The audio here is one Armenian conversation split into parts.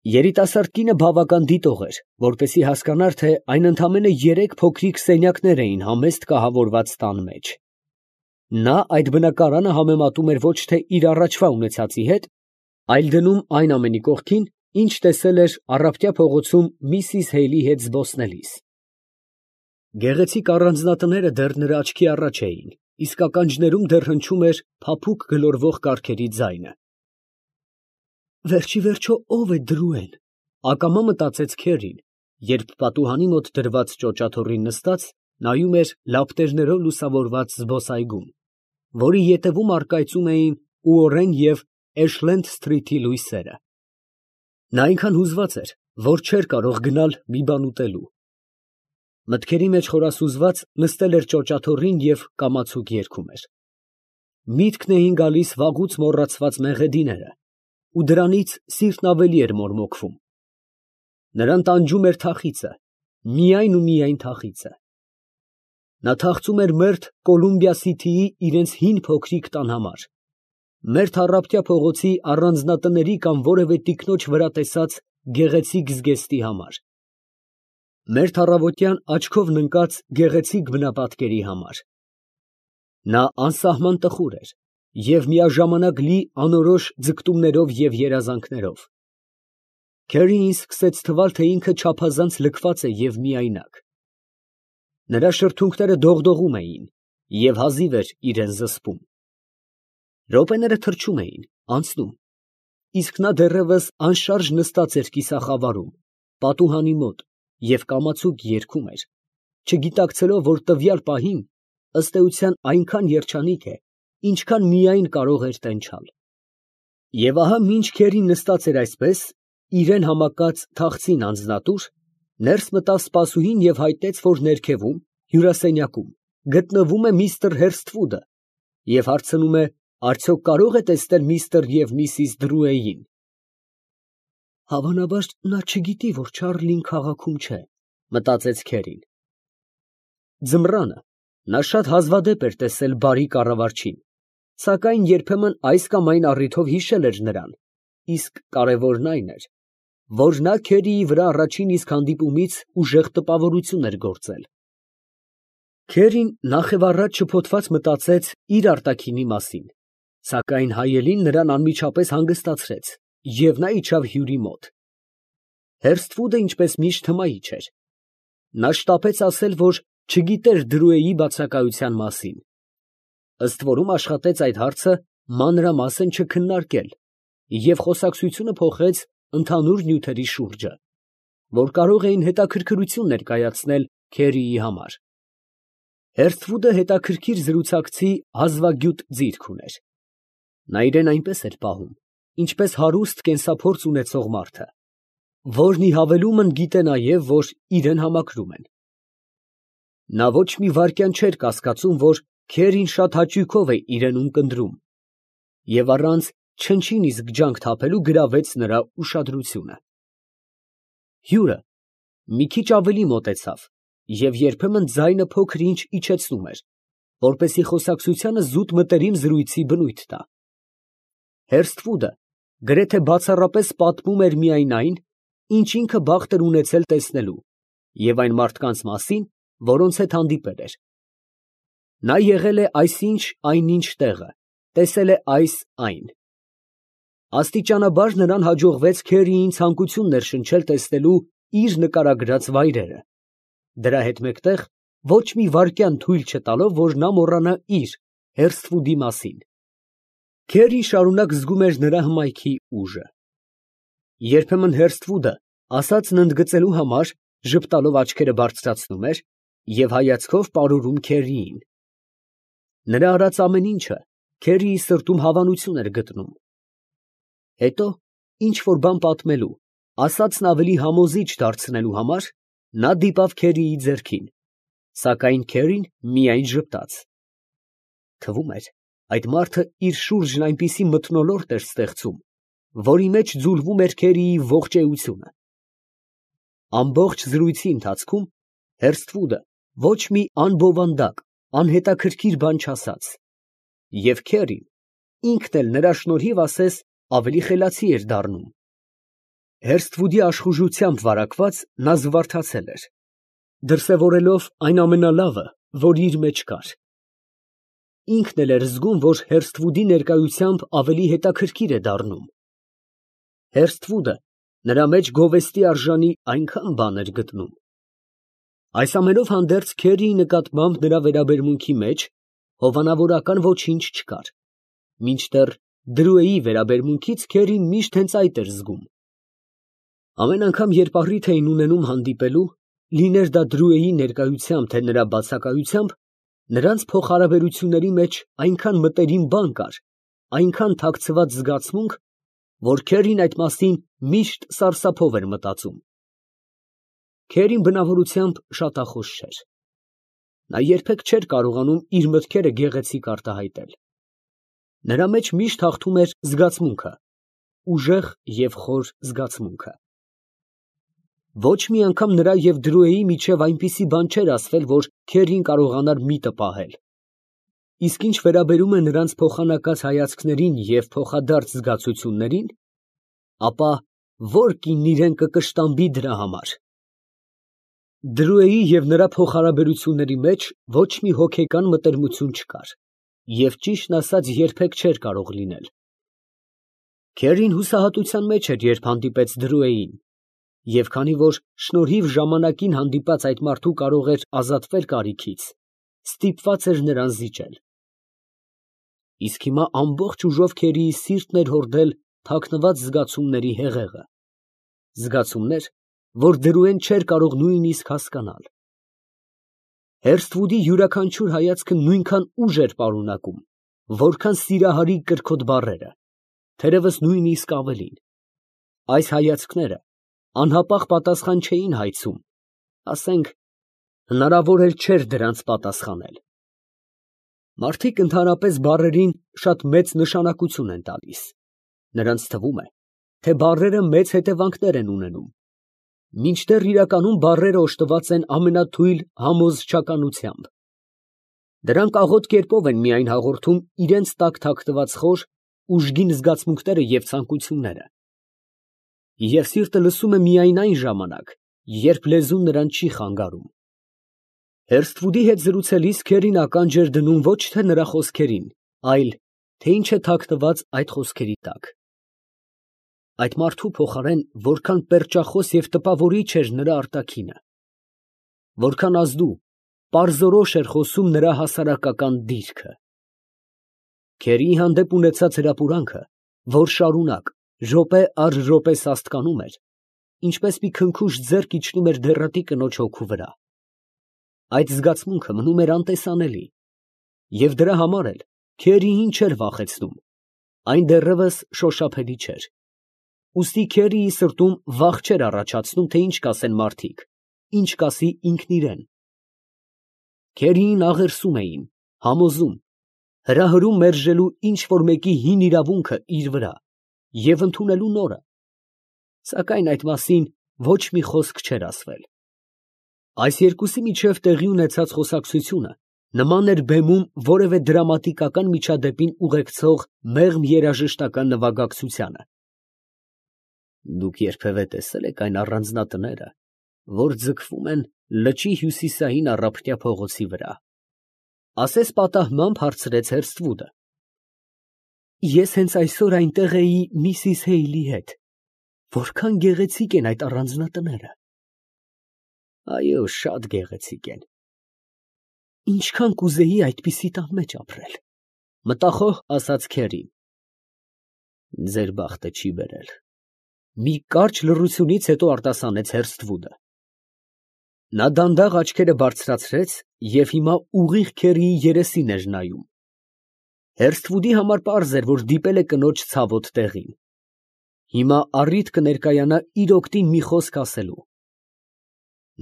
Երիտասարդ կինը բավական դիտող էր, որպեսզի հասկանար, թե այն ընդամենը 3 փոքրիկ սենյակներ էին համեստ կահավորված տան մեջ։ Նա այդ բնակարանը համեմատում էր ոչ թե իր առաջվա ունեցածի հետ, այլ դնում այն ամենի կողքին, ինչ տեսել էր առավոտյա փողոցում միսիս Հեյլի հետ զբոսնելիս։ Գեղեցիկ առանձնատները դեռ նրա աչքի առաջ էին, իսկ ականջներում դեռ հնչում էր փափուկ գլորվող կառքերի ձայնը։ Վերջի վերջո ո՞վ է Դրուեն, ակամա մտածեց Քերին, երբ պատուհանի մոտ դրված ճոճաթոռին նստած նայում էր լապտերներով լուսավորված զբոսայգուն, որի ետևում առկայծում էին Ուորեն և Էշլենդ Սթրիթի լույսերը։ Նա այնքան հուզված էր, որ չէր կարող գնալ մի բան ուտելու։ Մտքերի մեջ խորասուզված նստել էր ճոճաթոռին և կամացուկ երգում էր։ Միտքն էին գալիս վաղուց մոռացված մեղեդիները, ու դրանից սիրտն ավելի էր մորմոքվում։ Նրան տանջում էր թախիծը, միայն ու միայն թախիծը։ Նա թախծում էր մերթ Կոլումբիա Սիթիի իրենց հին փոքրիկ տան համար, մերթ առավոտյա փողոցի առանձնատների կամ որևէ տիկնոջ վրա տեսած գեղեցիկ զգեստի համար, մերթ առավոտյան աչքով ննկած գեղեցիկ բնապատկերի համար։ Նա անսահման տխուր էր և միաժամանակ լի անորոշ ձգտումներով և երազանքներով։ Քերիին սկսեց թվալ, թե ինքը չափազանց լքված է և միայնակ։ Նրա շրթունքները դողդողում էին և հազիվ էր իրան զսպում։ Րոպեները թռչում էին, անցնում, իսկ նա դեռևս անշարժ նստած էր կիսախավարում, պատուհանի մոտ և կամացուկ երգում էր, չգիտակցելով, որ տվյալ պահին, ըստ էության, այնքան երջանիկ է, ինչքան միայն կարող էր տենչալ։ Եվ ահա մինչ Քերին նստած էր այսպես, իրան համակած թախծին անձնատուր, ներս մտավ սպասուհին և հայտնեց, որ ներքևում, հյուրասենյակում, գտնվում է միստր Հերսթվուդը և հարցնում է, արդյոք կարող է տեսնել միստր և միսիս Դրուեին։ Հավանաբար նա չգիտի, որ Չարլին քաղաքում չէ, մտածեց Քերին։ Ձմռանը նա շատ հազվադեպ էր տեսել բարի կառավարչին, սակայն երբեմն այս կամ այն առիթով հիշել էր նրան, իսկ կարևորն այն էր, որ նա Քերիի վրա առաջին իսկ հանդիպումից ուժեղ տպավորություն էր գործել։ Քերին նախևառաջ շփոթված մտածեց իր արտաքինի մասին, սակայն հայելին նրան անմիջապես հանգստացրեց, և նա իջավ հյուրի մոտ։ Հերսթվուդը, ինչպես միշտ, հմայիչ էր։ Նա շտապեց ասել, որ չգիտեր Դրուեի բացակայության մասին, ըստ որում աշխատեց այդ հարցը մանրամասն չքննարկել և խոսակցությունը փոխեց ընդհանուր նյութերի շուրջը, որ կարող էին հետաքրքրություն ներկայացնել Քերիի համար։ Հերսթվուդը հետաքրքիր զրուցակցի հազվագյուտ ձիրք ուներ։ Նա իրան այնպես էր պահում, ինչպես հարուստ կենսափորձ ունեցող մարդը, որն ի հավելումն գիտե նաև, որ իրան համակրում են։ Նա ոչ մի վայրկյան չէր կասկածում, որ Քերին շատ հաճույքով է իրան ունկնդրում, և առանց չնչին իսկ ջանք թափելու գրավեց նրա ուշադրությունը։ Հյուրը մի քիչ ավելի մոտեցավ և երբեմն ձայնը փոքր֊ինչ իջեցնում էր, որպեսզի խոսակցությանը զուտ մտերիմ զրույցի բնույթ տա։ Հերսթվուդը գրեթե բացառապես պատմում էր միայն այն, ինչ ինքը բախտ էր ունեցել տեսնելու, և այն մարդկանց մասին, որոնց հետ հանդիպել էր։ Նա եղել է այսինչ այնինչ տեղը, տեսել է այս֊այն։ Աստիճանաբար նրան հաջողվեց Քերիին ցանկություն ներշնչել տեսնելու իր նկարագրած վայրերը, դրա հետ մեկտեղ ոչ մի վայրկյան թույլ չտալով, որ նա մոռանա իր՝ Հերսթվուդի մասին։ Քերին շարունակ զգում էր նրա հմայքի ուժը։ Երբեմն Հերսթվուդը ասածն ընդգծելու համար ժպտալով աչքերը բարձրացնում էր և հայացքով պարուրում Քերիին։ Նրա արած ամեն ինչը Քերիի սրտում հավանություն էր գտնում։ Հետո, ինչ֊որ բան պատմելու, ասածն ավելի համոզիչ դարձնելու համար, նա դիպավ Քերիի ձեռքին, սակայն Քերին միայն ժպտաց։ Թվում էր, այդ մարդը իր շուրջն այնպիսի մթնոլորտ էր ստեղծում, որի մեջ ձուլվում էր Քերիի ողջ էությունը։ Ամբողջ զրույցի ընթացքում Հերսթվուդը ոչ մի անբովանդակ, անհետաքրքիր բան չասաց, և Քերին ինքն էլ նրա շնորհիվ ասես ավելի խելացի էր դառնում։ Հերսթվուդի աշխուժությամբ վարակված նա զվարթացել էր, դրսևորելով այն ամենալավը, որ իր մեջ կար. ինքն էլ էր զգում, որ Հերսթվուդի ներկայությամբ ավելի հետաքրքիր է դառնում. Հերսթվուդը նրա մեջ գովեստի արժանի այնքան բան էր գտնում։ Այս ամենով հանդերձ Քերիի նկատմամբ նրա վերաբերմունքի մեջ հովանավորական ոչինչ չկար, մինչդեռ Դրուեի վերաբերմունքից Քերին միշտ հենց այդ էր զգում։ Ամեն անգամ, երբ առիթ էին ունենում հանդիպելու, լիներ դա Դրուեի ներկայությամբ, թե նրա բացակայությամբ, նրանց փոխհարաբերությունների մեջ այնքան մտերիմ բան կար, այնքան թաքցված զգացմունք, որ Քերին այդ մասին միշտ սարսափով էր մտածում։ Քերին բնավորությամբ շատախոս չէր։ Նա երբեք չէր կարողանում իր մտքերը գեղեցիկ արտահայտել։ Նրա մեջ միշտ հաղթում էր զգացմունքը, ուժեղ և խոր զգացմունքը։ Ոչ մի անգամ նրա և Դրուեի միջև այնպիսի բան չէր ասվել, որ Քերին կարողանար միտը պահել։ Իսկ ինչ վերաբերում է նրանց փոխանակած հայացքներին և փոխադարձ զգացություններին, ապա ո՞ր կինն իրեն կկշտամբի դրա համար։ Դրուեի և նրա փոխհարաբերությունների մեջ ոչ մի հոգեկան մտերմություն չկար և ճիշտն ասած երբեք չէր կարող լինել։ Քերին հուսահատության մեջ էր, երբ հանդիպեց Դրուեին, և քանի որ շնորհիվ ժամանակին հանդիպած այդ մարդու կարող էր ազատվել կարիքից, ստիպված էր նրան զիջել։ Իսկ հիմա ամբողջ ուժով Քերիի սիրտն էր հորդել թաքնված զգացումների հեղեղը, զգացումներ, որ Դրուեն չէր կարող նույնիսկ հասկանալ։ Հերսթվուդի յուրաքանչյուր հայացքը նույնքան ուժ էր պարունակում, որքան սիրահարի կրքոտ բառերը, թերևս նույնիսկ ավելին։ Այս հայացքները անհապաղ պատասխան չէին հայցում, ասենք, հնարավոր էլ չէր դրանց պատասխանել։ Մարդիկ ընդհանրապես բառերին շատ մեծ նշանակություն են տալիս։ Նրանց թվում է, թե բառերը մեծ հետևանքներ են ունենում, մինչդեռ իրականում բառերը օժտված են ամենաթույլ համոզչականությամբ։ Դրանք աղոտ կերպով են միայն հաղորդում իրենց տակ թաքնված խոր, ուժգին զգացմունքները և ցանկությունները։ Եվ սիրտը լսում է միայն այն ժամանակ, երբ լեզուն նրան չի խանգարում։ Հերսթվուդի հետ զրուցելիս Քերին ականջ էր դնում ոչ թե նրա խոսքերին, այլ թե ինչ է թաքնված այդ խոսքերի տակ։ Այդ մարդու փոխարեն որքան պերճախոս և տպավորիչ էր նրա արտաքինը, որքան ազդու, պարզորոշ էր խոսում նրա հասարակական դիրքը։ Քերիի հանդեպ ունեցած հրապուրանքը, որ շարունակ, րոպե առ րոպե սաստկանում էր, ինչպես մի քնքուշ ձեռք իջնում էր դեռատի կնոջ հոգու վրա։ Այդ զգացմունքը մնում էր անտեսանելի, և դրա համար էլ Քերիին չէր վախեցնում, այն դեռևս շոշափելի չէր։ Ուստի Քերիի սրտում վախ չէր առաջացնում, թե ինչ կասեն մարդիկ, ինչ կասի ինքն իրեն։ Քերիին աղերսում էին, համոզում, հրահրում մերժելու ինչ֊որ մեկի հին իրավունքը իր վրա և ընդունելու նորը, սակայն այդ մասին ոչ մի խոսք չէր ասվել։ Այս երկուսի միջև տեղի ունեցած խոսակցությունը նման էր բեմում որևէ դրամատիկական միջադեպին ուղեկցող մեղմ երաժշտական նվագակցությանը։ Դուք երբևէ տեսե՞լ եք այն առանձնատները, որ ձգվում են լճի հյուսիսային առափնյա փողոցի վրա, ֊ ասես պատահմամբ հարցրեց Հերսթվուդը։ Ես հենց այսօր այնտեղ էի միսիս Հեյլի հետ։ Որքան գեղեցիկ են այդ առանձնատները։ Այո, շատ գեղեցիկ են։ Ինչքան կուզեի այդպիսի տան մեջ ապրել, մտախոհ ասաց Քերին։ Ձեր բախտը չի բերել։ Մի կարճ լռությունից հետո արտասանեց Հերսթվուդը։ Նա դանդաղ աչքերը բարձրացրեց և հիմա ուղիղ Քերիի երեսին էր նայում։ Հերսթվուդի համար պարզ էր, որ դիպել է կնոջ ցավոտ տեղին։ Հիմա առիթ կներկայանա իր օգտին մի խոսք ասելու։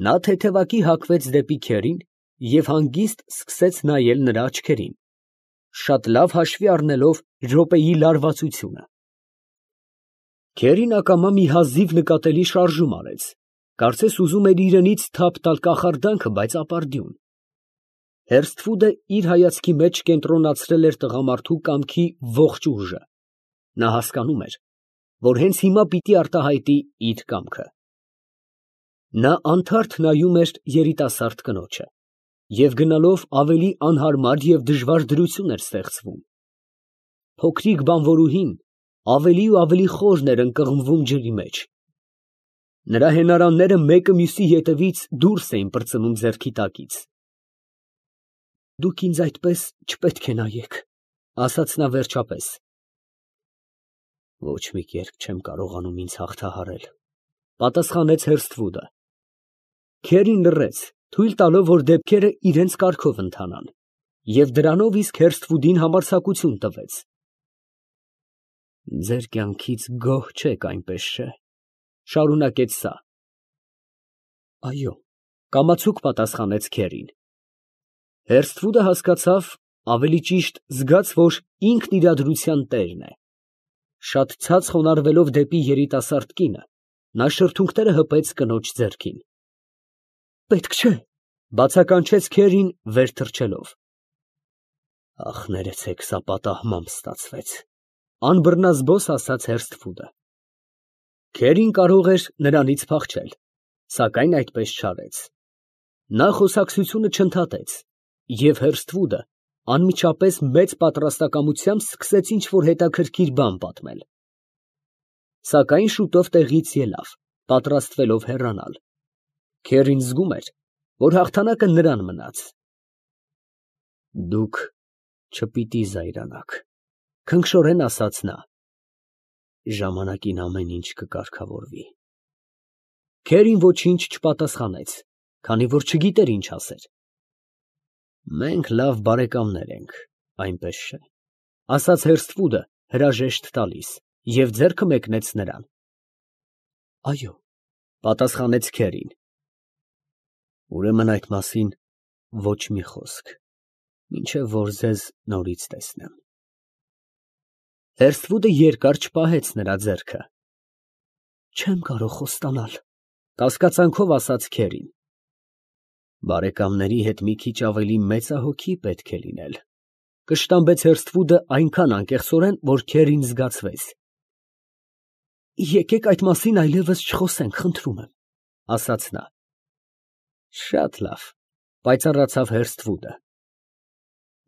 Նա թեթևակի հակվեց դեպի Քերին և հանգիստ սկսեց նայել նրա աչքերին, շատ լավ հաշվի առնելով րոպեի լարվածությունը։ Քերին ակամա մի հազիվ նկատելի շարժում արեց, կարծես ուզում էր իրենից թափ տալ կախարդանքը, բայց ապարդյուն։ Հերսթվուդը իր հայացքի մեջ կենտրոնացրել էր տղամարդու կամքի ողջ ուժը։ Նա հասկանում էր, որ հենց հիմա պիտի արտահայտի իր կամքը։ Նա անթարթ նայում էր երիտասարդ կնոջը, և գնալով ավելի անհարմար և դժվար դրություն էր ստեղծվում։ Փոքրիկ բանվորուհին ավելի ու ավելի խորն էր ընկղմվում ջրի մեջ։ Նրա հենարանները մեկը մյուսի ետևից դուրս էին պրծնում ձեռքի տակից։ «Դուք ինձ այդպես չպետք է նայեք», ֊ ասաց նա վերջապես։ «Ոչ մի կերպ չեմ կարողանում ինձ հաղթահարել», ֊ պատասխանեց Հերսթվուդը։ Քերին լռեց, թույլ տալով, որ դեպքերը իրենց կարգով ընթանան, և դրանով իսկ Հերսթվուդին համարձակություն տվեց։ «Ձեր կյանքից գոհ չեք, այնպես չէ՞, ֊ շարունակեց սա։ ֊ Այո, ֊ կամացուկ պատասխանեց Քերին։ Հերսթվուդը հասկացավ, ավելի ճիշտ զգաց, որ ինքն իրադրության տերն է։ Շատ ցած խոնարհվելով դեպի երիտասարդ կինը, նա շրթունքները հպեց կնոջ ձեռքին։ «Պետք չէ», ֊ բացականչեց Քերին վեր թռչելով։ «Ախ, ներեցեք, սա պատահմամբ ստացվեց», ֊ անբռնազբոս ասաց Հերսթվուդը։ Քերին կարող էր նրանից փախչել, սակայն այդպես չարեց։ Նա խոսակցությունը չընդհատեց, և Հերսթվուդը անմիջապես մեծ պատրաստակամությամբ սկսեց ինչ֊որ հետաքրքիր բան պատմել։ Սակայն շուտով տեղից ելավ, պատրաստվելով հեռանալ։ Քերին զգում էր, որ հաղթանակը նրան մնաց։ «Դուք չպիտի զայրանաք», ֊ քնքշորեն ասաց նա։ «Ժամանակին ամեն ինչ կկարգավորվի»։ Քերին ոչինչ չպատասխանեց, քանի որ չգիտեր ինչ ասեր։ «Մենք լավ բարեկամներ ենք, այնպես չէ՞, ֊ ասաց Հերսթվուդը հրաժեշտ տալիս, և ձեռքը մեկնեց նրան։ «Այո», ֊ պատասխանեց Քերին։ «Ուրեմն այդ մասին ոչ մի խոսք, մինչև որ ձեզ նորից տեսնեմ»։ Հերսթվուդը երկար չպահեց նրա ձեռքը։ «Չեմ կարող խոստանալ», ֊ կասկածանքով ասաց Քերին։ «Բարեկամների հետ մի քիչ ավելի մեծահոգի պետք է լինել», ֊ կշտամբեց Հերսթվուդը այնքան անկեղծորեն, որ Քերին զգացվեց։ «Եկեք այդ մասին այլևս չխոսենք, խնդրում եմ», ֊ ասաց նա։ «Շատ լավ», ֊ պայծառացավ Հերսթվուդը։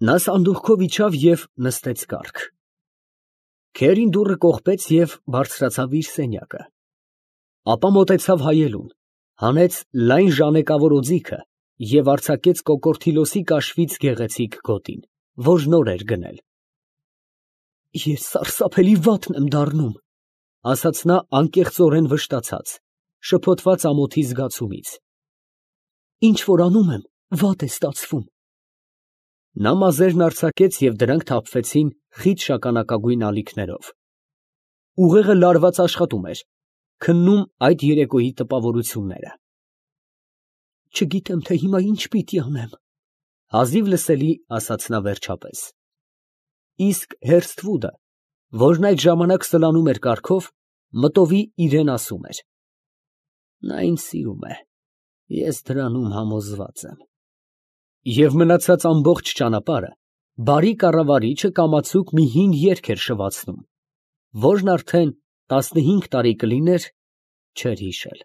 Նա սանդուղքով իջավ և նստեց կառք։ Քերին դուռը կողպեց և բարձրացավ իր սենյակը։ Ապա մոտեցավ հայելուն, հանեց լայն ժանեկավոր օձիքը և արձակեց կոկորդիլոսի կաշվից գեղեցիկ գոտին, որ նոր էր գնել։ «Ես սարսափելի վատն եմ դառնում», ֊ ասաց նա անկեղծորեն վշտացած, շփոթված ամոթի զգացումից։ «Ինչ որ անում եմ, վատ է ստացվում»։ Նա մազերն արձակեց և դրանք թափվեցին խիտ շագանակագույն ալիքներով։ Ուղեղը լարված աշխատում էր, քննում այդ երեկոյի տպավորությունները։ «Չգիտեմ, թե հիմա ինչ պիտի անեմ», ֊ հազիվ լսելի ասաց նա վերջապես։ Իսկ Հերսթվուդը, որն այդ ժամանակ սլանում էր կառքով, մտովի իրան ասում էր. «Նա ինձ սիրում է, ես դրանում համոզված եմ»։ Եվ մնացած ամբողջ ճանապարհը բարի կառավարիչը կամացուկ մի հին երգ էր շվացնում, որն արդեն 15 տարի կլիներ չէր հիշել։